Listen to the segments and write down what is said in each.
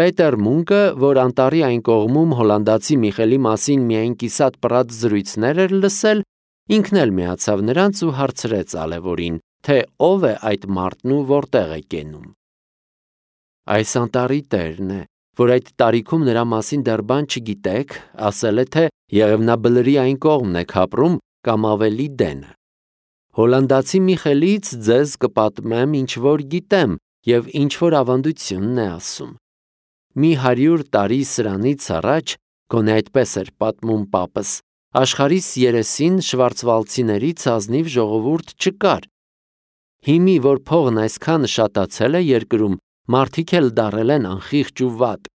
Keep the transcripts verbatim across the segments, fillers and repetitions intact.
Պետեր Մունկը, որ անտառի այն կողմում հոլանդացի Միխելի մասին միայն կիսատ պռատ զրույցներ էր լսել, ինքն էլ միացավ նրանց ու հարցրեց Ալևորին, թե ով է այդ մարդն ու որտեղ է կենում։ Այս անտառի տերն է, որ այդ տարիքում նրա մասին դեռ բան չգիտեք, ասել է, թե Եղևնաբլրի այն կողմն եք ապրում կամ ավելի դենը։ Հոլանդացի Միխելից ձեզ կպատմեմ ինչ որ գիտեմ և ինչ որ ավանդությունն է ասում։ Մի հարյուր տարի սրանից առաջ, գոնե այդպես էր պատմում պապս, աշխարհիս երեսին շվարցվալցիներից ազնիվ ժողովուրդ չկար։ Հիմի, որ փողն այսքան շատացել է երկրում, մարդիկ էլ դարել են անխիղճ ու վատ։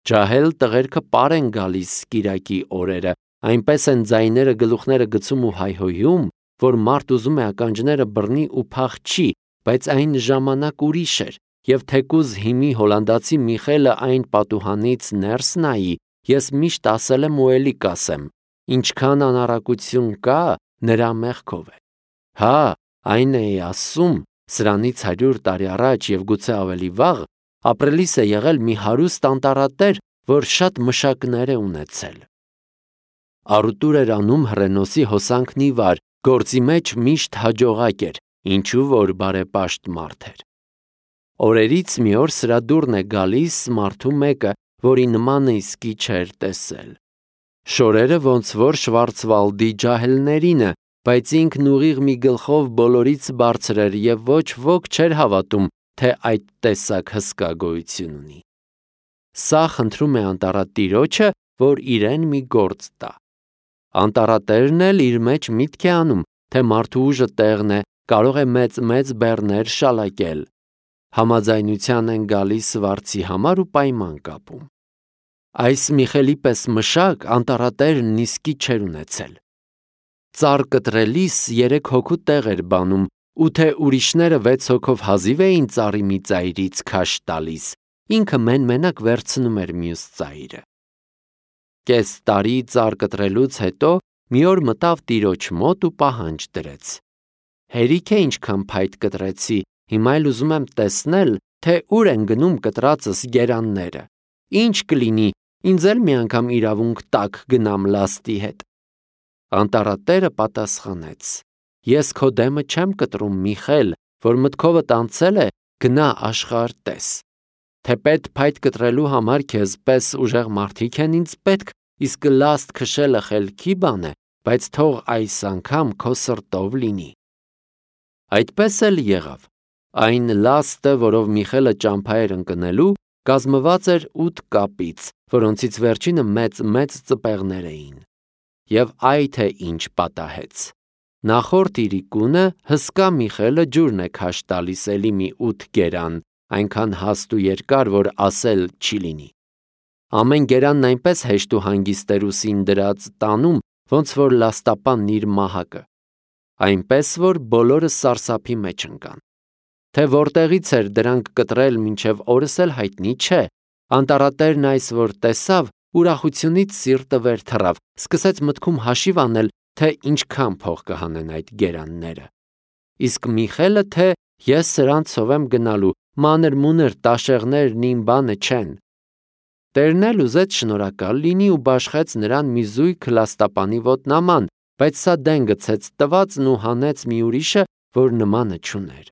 Ջահել տղերքը պար են գալիս կիրակի օրերը, այնպես են ձայները գլուխները գցում ու հայհոյում, որ մարդ ուզում է ականջները բռնի ու փախչի, բայց այն ժամանակ ուրիշ էր, և թեկուզ հիմի հոլանդացի Միխելը այն պատուհանից ներս նայի, ես միշտ ասել եմ ու էլի կասեմ, ինչքան անառակություն կա, նրա մեղքով է։ Հա, այն էի ասում, սրանից հարյուր տարի առաջ և գուցե ավելի վաղ, ապրելիս է եղել մի հարուստ անտառատեր, որ շատ մշակներ է ունեցել։ Առուտուր էր անում հռենոսի հոսանքն ի վար, գործի մեջ միշտ հաջողակ էր, ինչու որ բարեպաշտ մարդ էր։ Օրերից մի օր սրա դուռն է գալիս մարդու մեկը, որի նմանը իսկի չէր տեսել։ Շորերը ոնց որ Շվարցվալդի ջահելներինը, բայց ինքն ուղիղ մի գլխով բոլորից բարձր էր և ոչ ոք չէր հավատում, թե այդ տեսակ հսկա գոյություն ունի։ Սա խնդրում է անտառատիրոջը, որ իրեն մի գործ տա։ Անտառատերն էլ իր մեջ միտք է անում, թե մարդու ուժը տեղն է, կարող է մեծ-մեծ բեռներ շալակել։ Համաձայնության են գալիս վարձի համար ու պայման կապում։ Այս Միխելի պես մշակ անտառատերն իսկի չէր ունեցել։ Ծառ կտրելիս երեք հոգու տեղ էր բանում, ու թե ուրիշները վեց հոգով հազիվ էին ծառի մի ծայրից քաշ տալիս, ինքը մեն-մենակ վերցնում էր մյուս ծայրը։ Կես տարի ծառ կտրելուց հետո մի օր մտավ տիրոջ մոտ ու պահանջ դրեց. Հերիք է ինչքան փայտ կտրեցի, հիմա էլ ուզում եմ տեսնել, թե ուր են գնում կտրածս գերանները։ Ինչ կլինի, ինձ էլ մի անգամ իրավունք տաք գնամ լաստի հետ։ Անտառատերը պատասխանեց. Ես քո դեմը չեմ կտրում, Միխել, որ մտքովդ անցել է, գնա աշխարհ տես։ Թեպետ փայտ կտրելու համար քեզ պես ուժեղ մարդիկ են ինձ պետք, իսկ լաստ քշելը խելքի բան է, բայց թող այս անգամ քո սրտով լինի։ Այդպես էլ եղավ։ Այն լաստը, որով Միխելը ճամփա էր ընկնելու, կազմված էր ութ կապից, որոնցից վերջինը մեծ-մեծ ծպեղներ էին։ Եվ այ թե ինչ պատահեց։ Նախորդ իրիկունը հսկա Միխելը ջուրն է քաշ տալիս էլի մի ութ գերան, այնքան հաստ ու երկար, որ ասել չի լինի։ Ամեն գերանն այնպես հեշտ ու հանգիստ էր ուսին դրած տանում, ոնց որ լաստապանն իր մահակը, այնպես որ բոլորը սարսափի մեջ ընկան։ Թե որտեղից էր դրանք կտրել մինչև օրս էլ հայտնի չէ։ Անտառատերն այս որ տեսավ, ուրախությունից սիրտը վեր թռավ, սկսեց մտքում հաշիվ անել, թե ինչքան փող կհանեն այդ գերանները։ Իսկ Միխելը թե ես սրանցով եմ գնալու, մանր-մունր տաշեղներն իմ բանը չեն։ Տերն էլ ուզեց շնորհակալ լինի ու բաշխեց նրան մի զույգ լաստապանի ոտնաման, բայց սա դեն գցեց տվածն ու հանեց մի ուրիշը, որ նմանը չուներ։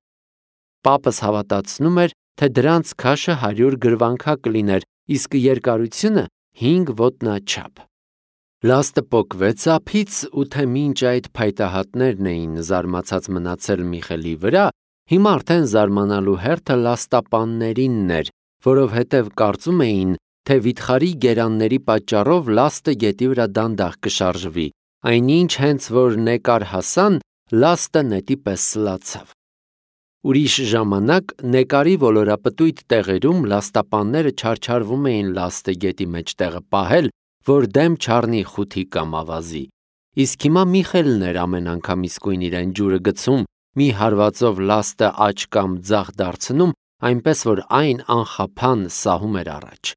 Պապս հավատացնում էր, թե դրանց քաշը հարյուր գրվանքա կլիներ, իսկ երկարությունը հինգ ոտնաչափ։ Լաստը պոկվեց ափից ու թե մինչ այդ փայտահատներն էին զարմացած մնացել Միխելի վրա, հիմա արդեն զարմանալու հերթը լաստապաններինն էր, որովհետև կարծում էին, թե վիթխարի գերանների պատճառով լաստը գետի վրա դանդաղ կշարժվի, այնինչ հենց որ նեկար հասան, լաստը նետի պես սլացավ։ Ուրիշ ժամանակ նեկարի ոլորապտույտ տեղերում լաստապանները չարչարվում էին լաստը գետի մեջտեղը պահել, որ դեմ չառնի խութի կամ ավազի։ Իսկ հիմա Միխելն էր ամեն անգամ իսկույն իրեն ջուրը գցում, մի հարվածով լաստը աջ կամ ձախ դարձնում, այնպես որ այն անխափան սահում էր առաջ։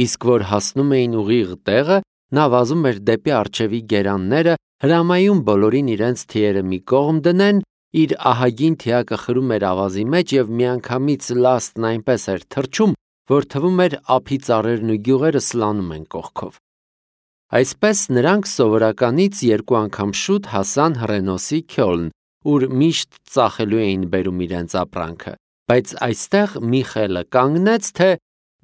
Իսկ որ հասնում էին ուղիղ տեղը, նա վազում էր դեպի առջևի գերանները, հրամայում բոլորին իրենց թիերը մի կողմ դնեն, իր ահագին թիակը խրում էր ավազի մեջ և միանգամից լաստն այնպես էր թռչում, որ թվում էր ափի ծառերն ու գյուղերը սլանում են կողքով։ Այսպես նրանք սովորականից երկու անգամ շուտ հասան Հռենոսի Քյոլն, ուր միշտ ծախելու էին բերում իրենց ապրանքը, բայց այստեղ Միխելը կանգնեց, թե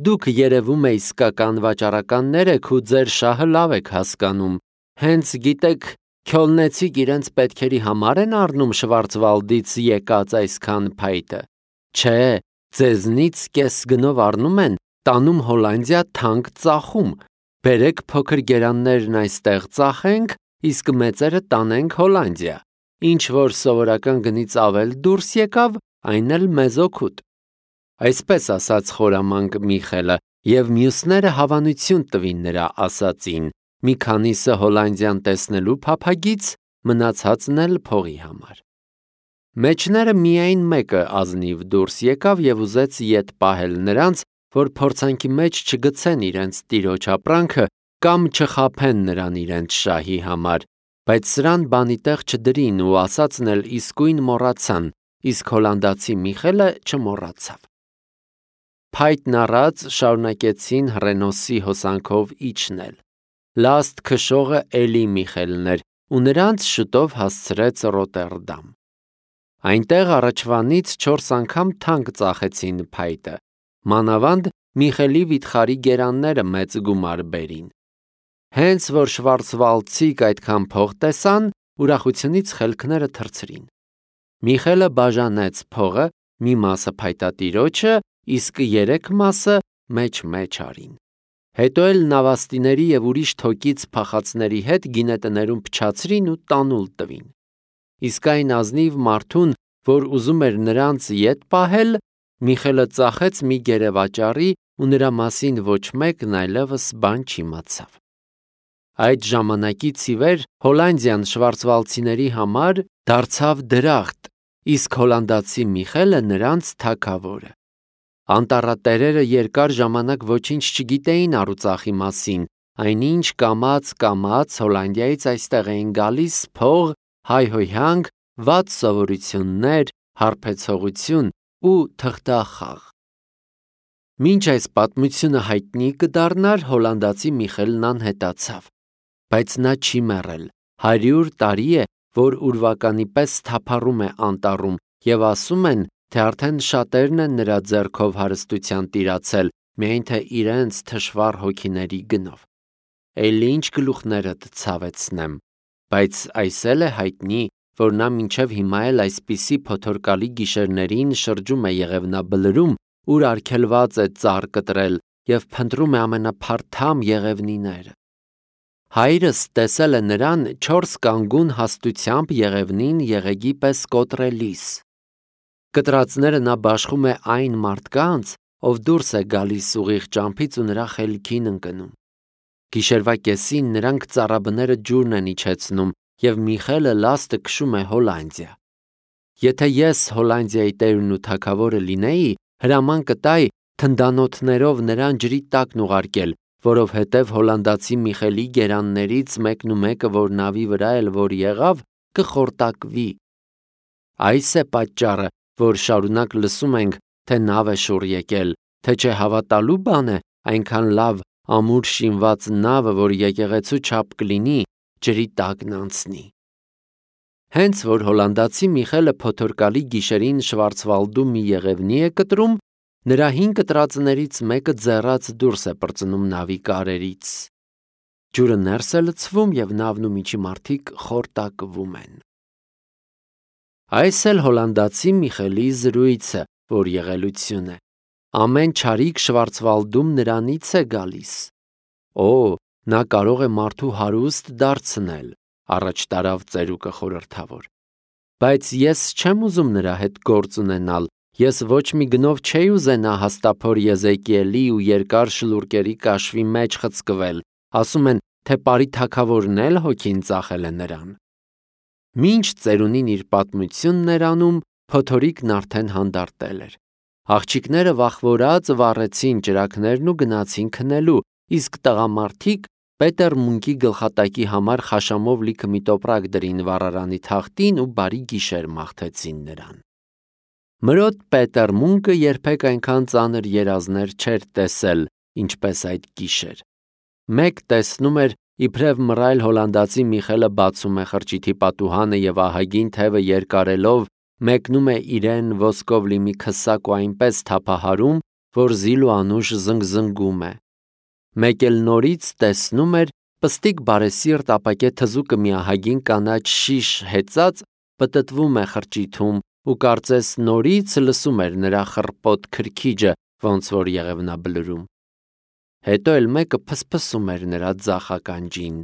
դուք երևում է իսկական վաճառականներ եք ու ձեր շահը լավ եք հասկանում, հենց գիտեք Քյոլնեցիք իրենց պետքերի համար են առնում Շվարցվալդից եկած այսքան փայտը, չէ, ձեզնից կես գնով առնում են, տանում Հոլանդիա թանկ ծախում, բերեք փոքր գերաններն այստեղ ծախենք, իսկ մեծերը տանենք Հոլանդիա, ինչ որ սովորական գնից ավել դուրս եկավ, այն էլ մեզ օգուտ։ Այսպես ասաց խորամանկ Միխելը, և մյուսները հավանություն տվին նրա ասածին, մի քանիսը Հոլանդիան տեսնելու փափագից, մնացածն էլ փողի համար։ Մեջները միայն մեկը ազնիվ դուրս եկավ և ուզեց ետ պահել նրանց, որ փորձանքի մեջ չգցեն իրենց տիրոջ ապրանքը կամ չխաբեն նրան իրենց շահի համար, բայց սրան բանի տեղ չդրին ու ասածն էլ իսկույն մոռացան, իսկ հոլանդացի Միխելը չմոռացավ։ Փայտն առած շարունակեցին Հռենոսի հոսանքով իջնել։ Լաստ քշողը էլի Միխելն էր ու նրանց շուտով հասցրեց Ռոտերդամ։ Այնտեղ առաջվանից չորս անգամ թանկ ծախեցին փայտը, մանավանդ Միխելի վիթխարի գերանները մեծ գումար բերին։ Հենց որ շվարցվալդցիք այդքան փող տեսան, ուրախությունից խելքները թռցրին։ Միխելը բաժանեց փողը, մի մասը փայտատիրոջը, իսկ երեք մասը մեջ-մեջ արին։ Հետո էլ նավաստիների և ուրիշ թոկից փախածների հետ գինետներում փչացրին ու տանուլ տվին։ Իսկ այն ազնիվ մարդուն, որ ուզում էր նրանց ետ պահել, Միխելը ծախեց մի գերեվաճառի ու նրա մասին ոչ մեկն այլևս բան չիմացավ։ Այդ ժամանակից ի վեր Հոլանդիան շվարցվալդցիների համար դարձավ դրախտ, իսկ հոլանդացի Միխելը նրանց թագավորը։ Անտառատերերը երկար ժամանակ ոչինչ չգիտեին առուծախի մասին, այնինչ կամաց-կամաց Հոլանդիայից այստեղ էին գալիս փող, հայհոյանք, վատ սովորություններ, հարբեցողություն ու թղթախաղ։ Մինչ այս պատմությունը հայտնի կդառնար, հոլանդացի Միխելն անհետացավ, բայց նա չի մեռել, հարյուր տարի է, որ ուրվականի պես թափառում է անտառում և ասում են, թե արդեն շատերն են նրա ձեռքով հարստության տիրացել, միայն թե իրենց թշվառ հոգիների գնով։ Էլի ինչ գլուխներդ ցավեցնեմ, բայց այս էլ է հայտնի, որ նա մինչև հիմա էլ այսպիսի փոթորկալի գիշերներին շրջում է Եղևնաբլրում, ուր արգելված է ծառ կտրել և փնտրում է ամենափարթամ եղևնիները։ Հայրս տեսել է նրան չորս կանգուն հաստությամբ եղևնին եղեգի պես կոտրելիս։ Կտրածները նա բաշխում է այն մարդկանց, ով դուրս է գալիս ուղիղ ճամփից ու նրա խելքին ընկնում։ Գիշերվա կեսին նրանք ծառաբները ջուրն են իջեցնում և Միխելը լաստը քշում է Հոլանդիա։ Եթե ես Հոլանդիայի տերն ու թագավորը լինեի, հրաման կտայի թնդանոթներով նրան ջրի տակն ուղարկել, որովհետև հոլանդացի Միխելի գերաններից մեկն ու մեկը, որ նավի վրա էլ որ եղավ, կխորտակվի։ Այս է պատճառը, որ շարունակ լսում ենք, թե նավ է շուռ եկել, թե չէ հավատալու բան է այնքան լավ ամուր շինված նավը, որ եկեղեցու չափ կլինի, ջրի տակն անցնի։ Հենց որ հոլանդացի Միխելը փոթորկալի գիշերին Շվարցվալդում մի եղևնի է կտրում, նրա հին կտրածներից մեկը ձեռած դուրս է պրծնում նավի կարերից։ Ջուրը ներս է լցվում և նավն ու միջիմարտիկ խորտակվում են։ Այս էլ հոլանդացի Միխելի զրույցը, որ եղելություն է։ Ամեն չարիք Շվարցվալդում նրանից է գալիս։ Օ, նա կարող է մարդու հարուստ դարձնել, առաջ տարավ ծերուկը խորհրդավոր։ Բայց ես չեմ ուզում նրա հետ գործ ունենալ, ես ոչ մի գնով չէի ուզենա հաստափոր Եզեկիելի ու երկար շլուրկերի կաշվի մեջ խցկվել, ասում են, թե Պարի թագավորն էլ հոգին ծախել է նրան։ Մինչ ծերունին իր պատմությունն էր անում, փոթորիկն արդեն հանդարտել էր։ Աղջիկները վախվորած վառեցին ճրագներն ու գնացին քնելու, իսկ տղամարդիկ Պետեր Մունկի գլխատակի համար խաշամով լիքը մի տոպրակ դրին վառարանի թախտին ու բարի գիշեր մաղթեցին նրան։ Մրոտ Պետեր Մունկը երբեք այնքան ծանր երազներ չէր տեսել, ինչպես այդ գիշեր։ Մեկ տեսնում էր, իբրև մռայլ հոլանդացի Միխելը բացում է խրճիթի պատուհանը և ահագին թևը երկարելով մեկնում է իրեն ոսկով լի մի քսակ ու այնպես թափահարում, որ զիլ ու անուշ զնգզնգում է։ Մեկ էլ նորից տեսնում էր պստիկ բարեսիրտ ապակե թզուկը մի ահագին կանաչ շիշ հեծած պտտվում է խրճիթում ու կարծես նորից լսում էր նրա խռպոտ քրքիջը, ոնց որ Եղևնաբլուրում։ Հետո էլ մեկը փսփսում էր նրա ձախ ականջին.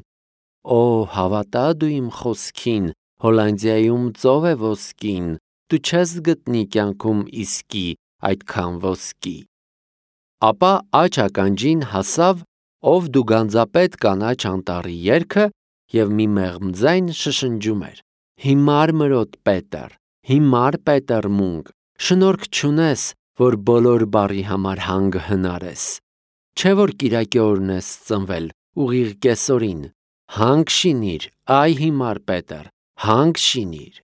«Օ, հավատա դու իմ խոսքին, Հոլանդիայում ծով է ոսկին, դու չես գտնի կյանքում իսկի այդքան ոսկի»։ Ապա աջ ականջին հասավ «Ով դու գանձապետ կանաչ անտառի» երգը և մի մեղմ ձայն շշնջում էր. «Հիմար Մրոտ Պետեր, հիմար Պետեր Մունկ, շնորհք չունես, որ բոլոր բառի համար հանգ հնարես։ Չէ որ կիրակի օրն ես ծնվել, ուղիղ կեսօրին, հանգ շինիր, այ հիմար Պետեր, հանգ շինիր»։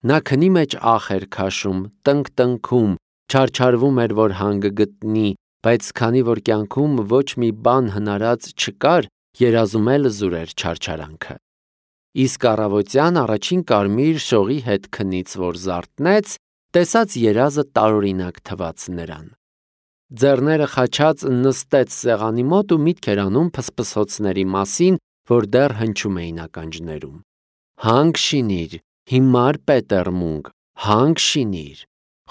Նա քնի մեջ ախ էր քաշում, տնկ-տնքում, չարչարվում էր, որ հանգը գտնի, բայց քանի որ կյանքում ոչ մի բան հնարած չկար, երազում էլ զուր էր չարչարանքը։ Իսկ առավոտյան առաջին կարմիր շողի հետ քնից որ զարթնեց, տեսած երազը տարօրինակ թվաց նրան։ Ձեռները խաչած նստեց սեղանի մոտ ու միտք էր անում փսփսոցների մասին, որ դեռ հնչում էին ականջներում։ «Հանգ շինիր, հիմար Պետեր Մունկ, հանգ շինիր»,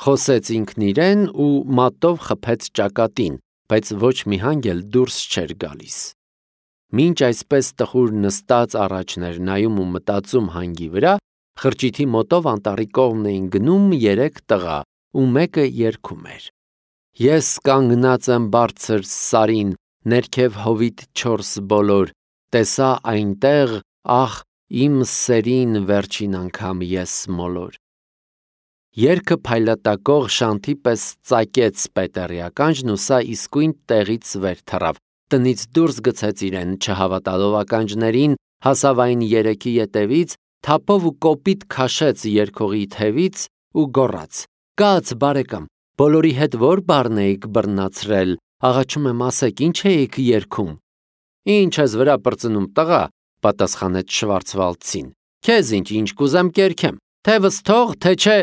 խոսեց ինքն իրեն ու մատով խփեց ճակատին, բայց ոչ մի հանգ էլ դուրս չէր գալիս։ Մինչ այսպես տխուր նստած առաջն էր նայում ու մտածում հանգի վրա, խրճիթի մոտով անտառի կողմն էին գնում երեք տղա, ու մեկը երգում էր. «Ես կանգնած եմ բարձր սարին, ներքև հովիտ չորս բոլոր, տեսա այնտեղ, ախ, իմ սերին վերջին անգամ ես մոլոր»։ Երգը փայլատակող շանթի պես ծակեց Պետերի ականջն ու սա իսկույն տեղից վեր թռավ, տնից դուրս գցեց իրեն, չհավատալով ականջներին, հասավ այն երեքի ետևից, թափով ու կոպիտ քաշեց երգողի թևից ու գոռաց. «Կաց, բարեկամ, բոլորի հետ ո՞ր բառն էիք բռնացրել, աղաչում եմ ասեք, ինչ էիք երգում»։ «Ինչ ես վրա պրծնում, տղա», պատասխանեց Շվարցվալդցին, «քեզ ինչ, ինչ կուզեմ կերքեմ, թևս թող, թե չէ»։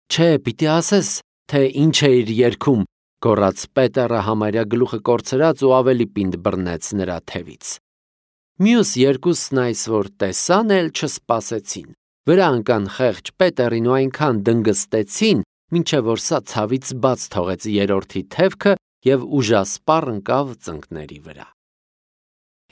«Չէ, պիտի ասես, թե ինչ էիր երգում», գոռաց Պետերը համարյա գլուխը կորցրած ու ավելի պինդ բռնեց նրա թևից։ Մյուս երկուսն այս որ տեսան էլ չսպասեցին, վրա ընկան խեղճ Պետերին ու այնքան դնգստեցին, մինչև որ սա ցավից բաց թողեց երրորդի թևքը և ուժասպառ ընկավ ծնկների վրա։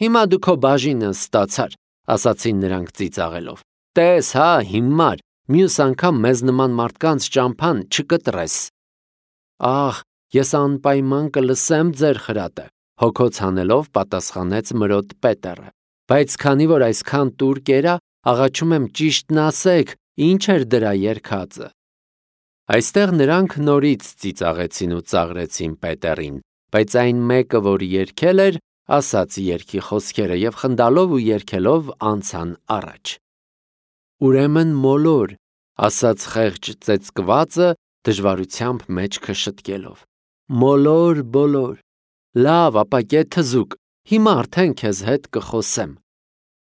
«Հիմա դու քո բաժինը ստացար», ասացին նրանք ծիծաղելով։ «Տես հա, հիմար, մյուս անգամ մեզ նման մարդկանց ճամփան չկտրես»։ «Ախ, ես անպայման կլսեմ ձեր խրատը», հոգոց հանելով պատասխանեց Մրոտ Պետերը, «բայց քանի որ այսքան տուր կերա, աղաչում եմ ճիշտն ասեք, ինչ էր դրա երգածը»։ Այստեղ նրանք նորից ծիծաղեցին ու ծաղրեցին Պետերին, բայց այն մեկը, որ երգել էր, ասաց երգի խոսքերը և խնդալով ու երգելով անցան առաջ։ «Ուրեմն մոլոր», ասաց խեղճ ծեծկվածը դժվարությամբ մեջքը շտկելով, «մոլոր բոլոր, լավ ապակե թզուկ, հիմա արդեն քեզ հետ կխոսեմ»։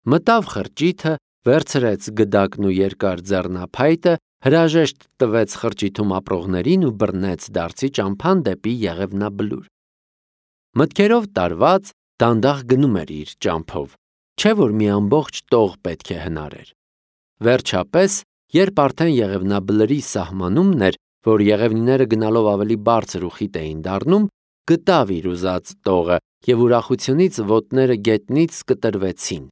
Մտավ խրճիթը, վերցրեց գդակն ու երկար ձեռնափայտը, հրաժեշտ տվեց խրճիթում ապրողներին ու բռնեց դարձի ճամփան դեպի Եղևնաբլուր։ Մտքերով տարված, դանդաղ գնում էր իր ճամփով, չէ որ մի ամբողջ տող պետք է հնարեր։ Վերջապես, երբ արդեն Եղևնաբլրի սահմանումն էր, որ եղևնիները գնալով ավելի բարձր ու խիտ էին դառնում, գտավ իր ուզած տողը և ուրախությունից ոտները գետնից կտրվեցին։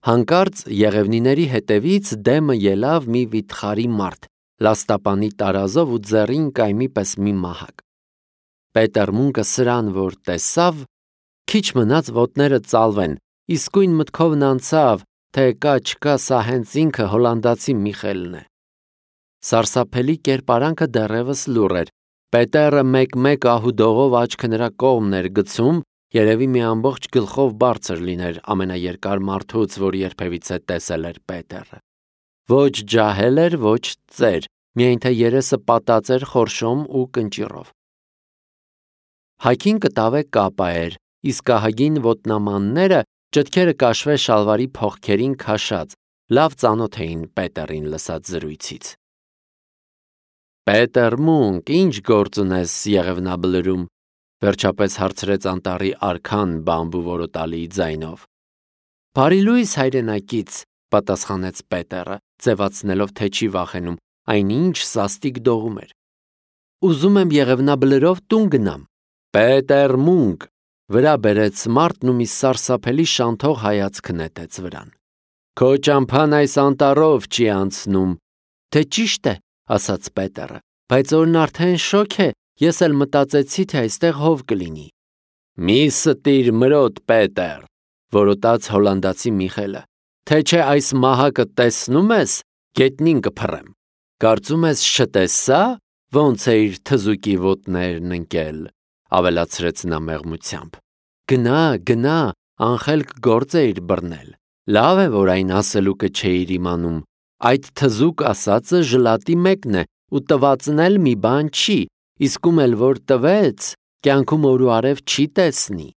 Հանկարծ եղևնիների հետևից դեմը ելավ մի վիթխարի մարդ, լաստապանի տարազով ու ձեռին կայմի պես մի մահակ։ Պետեր Մունկը սրան որ տեսավ, քիչ մնաց ոտները ծալվեն, իսկույն մտքովն անցավ, թե կա չկա սա հենց ինքը հոլանդացի Միխելն է։ Սարսափելի կերպարանքը դեռևս լուռ էր։ Պետերը մեկ-մեկ ահուդողով աչքը նրա կողմն էր գցում, երևի մի ամբողջ գլխով բարձր լիներ ամենաերկար մարդուց, որ երբևիցե տեսել էր Պետերը։ Ոչ ջահել էր, ոչ ծեր, միայն թե երեսը պատած էր խորշոմ ու կնճիռով։ Հայքին կտավե կապա էր, իսկ ահագին ոտնամանները ճտքերը կաշվե շալվարի փողքերին քաշած, լավ ծանոթ էին Պետերին լսած զրույցից։ Պետեր Մունկ, ինչ գործ ունես Եղևնաբլրում, վերջապես հարցրեց անտառի արքան բամբու որոտալի ձայնով։ Բարի լույս հայրենակից, պատասխանեց Պետերը, ձևացնելով, թե չի վախենում, այնինչ սաստիկ դողում էր։ Ուզում եմ Եղևնաբլրով տուն գնամ։ Պետեր Մունկ, վրա բերեց մարդն ու մի սարսափելի շանթող հայացք նետեց վրան։ Քո ճամփան այս անտառով չի անցնում։ Թե ճիշտ է, ասաց Պետերը, բայց օրն արդեն շոգ է, ես էլ մտածեցի, թե այստեղ հով կլինի։ Մի ստիր մրոտ, Պետեր, որոտաց հոլանդացի Միխելը, թե չէ այս մահակը տեսնում ես, գետնին կփռեմ։ Կարծում ես չտեսա, ոնց է իր թզուկի ոտներն ընկել, ավելացրեց նա մեղմությամբ։ Գնա, գնա, անխելք գործ է իր բռնել։ Լավ է, որ այն ասելուկը չէիր իմանում։ Այդ թզուկ ասածը ժլատի մեկն է ու տվածն էլ մի բան չի, իսկ ում էլ որ տվեց, կյանքում օր ու արև չի տեսնի։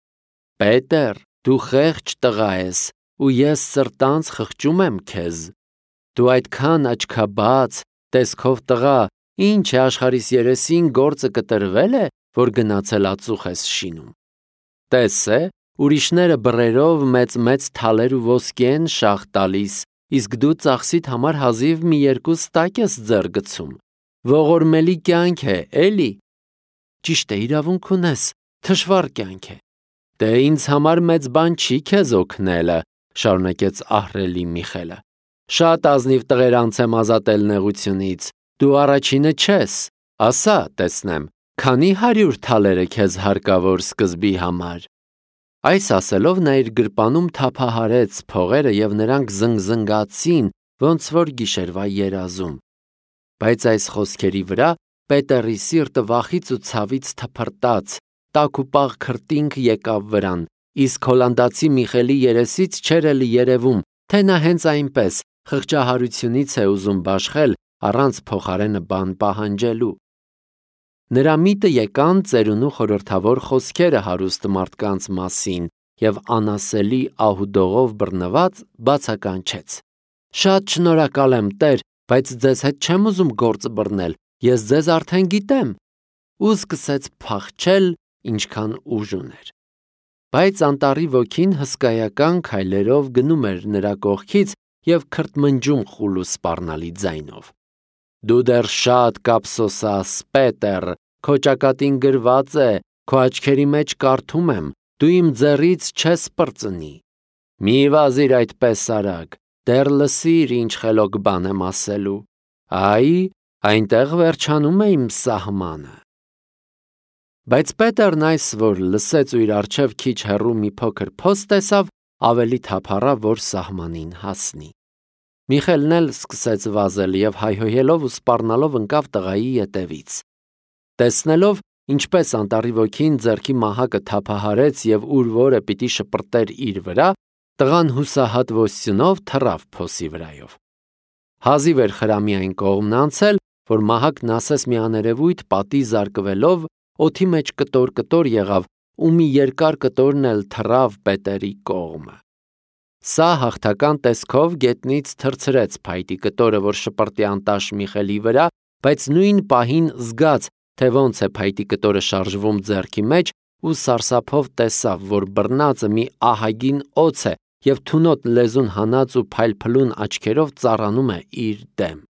Պետեր, դու խեղճ տղա ես, ու ես սրտանց խղճում եմ քեզ։ Դու այդքան աչքաբաց, տեսքով տղա, ինչ է աշխարհիս երեսին գործը կտրվել է, որ գնացել ածուխ ես շինում։ Տես է, ուրիշները բռերով մեծ-մեծ թալեր ու ոսկի են շաղ տալիս, իսկ դու ծախսիդ համար հազիվ մի երկու ստակ ես ձեռ գցում։ Ողորմելի կյանք է, էլի։ Ճիշտ է, իրավունք ունես, թշվառ կյանք է։ Դե ինձ համար մեծ բան չի քեզ օգնելը, շարունակեց ահռելի Միխելը։ Շատ ազնիվ տղեր անց եմ ազատել նեղությունից, դու առաջինը չես, ասա, տեսնեմ, քանի հարյուր թալերը քեզ հարկավոր սկզբի համար։ Այս ասելով նա իր գրպանում թափահարեց փողերը և նրանք զնգզնգացին, ոնց որ գիշերվա երազում։ Բայց այս խոսքերի վրա Պետերի սիրտը վախից ու ցավից թփրտաց, տաք ու պաղ քրտինք եկավ վրան, իսկ հոլանդացի Միխելի երեսից չէր էլ երևում, թե նա հենց այնպես խղճահարությունից է ուզում բաշխել առանց փոխարենը բան պահանջելու։ Նրա միտը եկան ծերունու խորհրդավոր խոսքերը հարուստ մարդկանց մասին և անասելի ահուդողով բռնված բացականչեց. Շատ շնորհակալ եմ, Տեր, բայց ձեզ հետ չեմ ուզում գործ բռնել, ես ձեզ արդեն գիտեմ, ու սկսեց փախչել, ինչքան ուժ ուներ։ Բայց անտառի ոգին հսկայական քայլերով գնում էր նրա կողքից և քրթմնջում խուլ ու սպառնալի ձայնով։ Դու դեռ շատ կափսոսաս, Պետեր, քո ճակատին գրված է, քո աչքերի մեջ կարդում եմ, դու իմ ձեռից չես պրծնի։ Մի վազիր այդպես արագ, դեռ լսիր, ինչ խելոք բան եմ ասելու։ Այ, այնտեղ վերջանում է իմ սահմանը։ Բայց Պետերն այս, որ լսեց ու իր առջև քիչ հեռու մի փոքր փոս տեսավ, ավելի թափառավ, որ սահմանին հասնի։ Միխելն էլ սկսեց վազել և հայհոյելով ու սպառնալով ընկավ տղայի ետևից։ Տեսնելով, ինչպես անտառի ոգին ձեռքի մահակը թափահարեց և ուր որը պիտի շպրտեր իր վրա, տղան հուսահատ ոստյունով թռավ փոսի վրայով։ Հազիվ էր խրամի այն կողմն անցել, որ մահակն ասես մի աներևույթ պատի զարկվելով օդի մեջ կտոր-կտոր եղավ ու մի երկար կտորն էլ թռավ Պետերի կողմը։ Սա հաղթական տեսքով գետնից թռցրեց փայտի կտորը, որ շպրտի անտաշ Միխելի վրա, բայց նույն պահին զգաց, թե ոնց է փայտի կտորը շարժվում ձեռքի մեջ ու սարսափով տեսավ, որ բռնածը մի ահագին օձ է և թունոտ լեզուն հանած ու փայլփլուն աչքերով ծառանում է իր դեմ։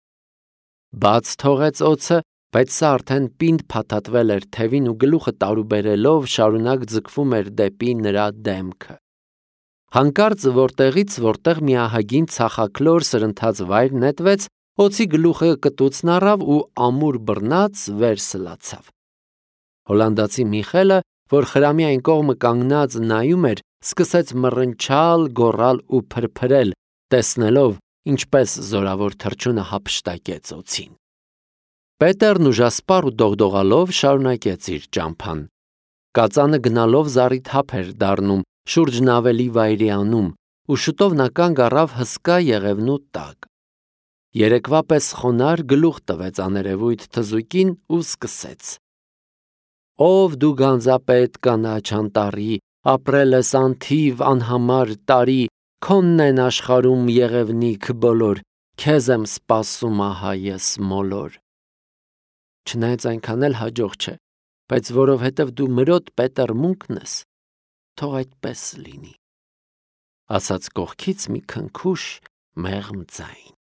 Բաց թողեց օձը, բայց սա արդեն պինդ փաթաթվել էր թևին ու գլուխը տարուբերելով շարունակ ձգվում էր դեպի նրա դեմքը։ Հանկարծ որտեղից որտեղ մի ահագին ցախաքլոր սրընթաց վայր նետվեց, օձի գլուխը կտուցն առավ ու ամուր բռնած վեր սլացավ։ Հոլանդացի Միխելը, որ խրամի այն կողմը կանգնած նայում էր, սկսեց մռնչալ, գոռալ ու փրփրել, տեսնելով, ինչպես զորավոր թռչունը հափշտակեց օձին։ Պետերն ուժասպառ ու դողդողալով շարունակեց իր ճամփան։ Կածանը գնալով զառիթափ էր դառնում, շուրջն ավելի վայրի անում, ու շուտով նա կանգ առավ հսկա եղևնու տակ։ Երեկվա պես խոնար գլուխ տվեց աներևույթ թզուկին ու սկսեց. «Ով դու գանձապետ կանաչ անտառի, ապրել ես անթիվ անհամար տարի, քոնն են աշխարհում եղևնիք բոլոր, քեզ եմ սպասում ահա ես մոլոր»։ Չնայած այնքան էլ հաջող չէ, բայց որովհետև դու մրոտ պետերմունքն ես, թող այդպես լինի, ասաց կողքից մի քնքուշ մեղմ ձայն։